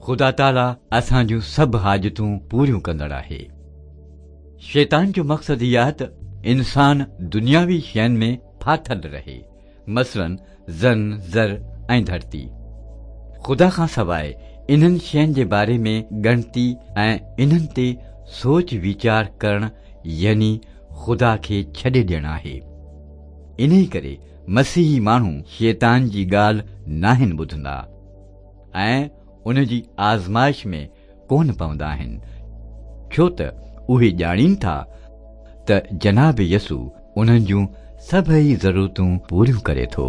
خدا تعاليٰ اسان جون سڀ حاجتون پوريون ڪندڙ آهي. شيطان جو مقصد هي آهي ته انسان دنياوي شين ۾ ڦاٿل رهي، مثلاً زن، زر ۽ ڌرتي. خدا کان سواء انهن شين جي باري ۾ ڳڻتي ۽ انهن تي سوچ ويچار ڪرڻ يعني خدا کي ڇڏي ڏيڻ آهي. انهي ڪري مسيحي ماڻهو شيطان جي ڳالهه ناهن ٻڌندا ۽ ان جي آزمائش ۾ ڪونه پوندا آهن، ڇو ته اهي ڄاڻين ٿا ته جناب يسوع انهن جون سڀئي ضرورتون پوريون ڪري ٿو.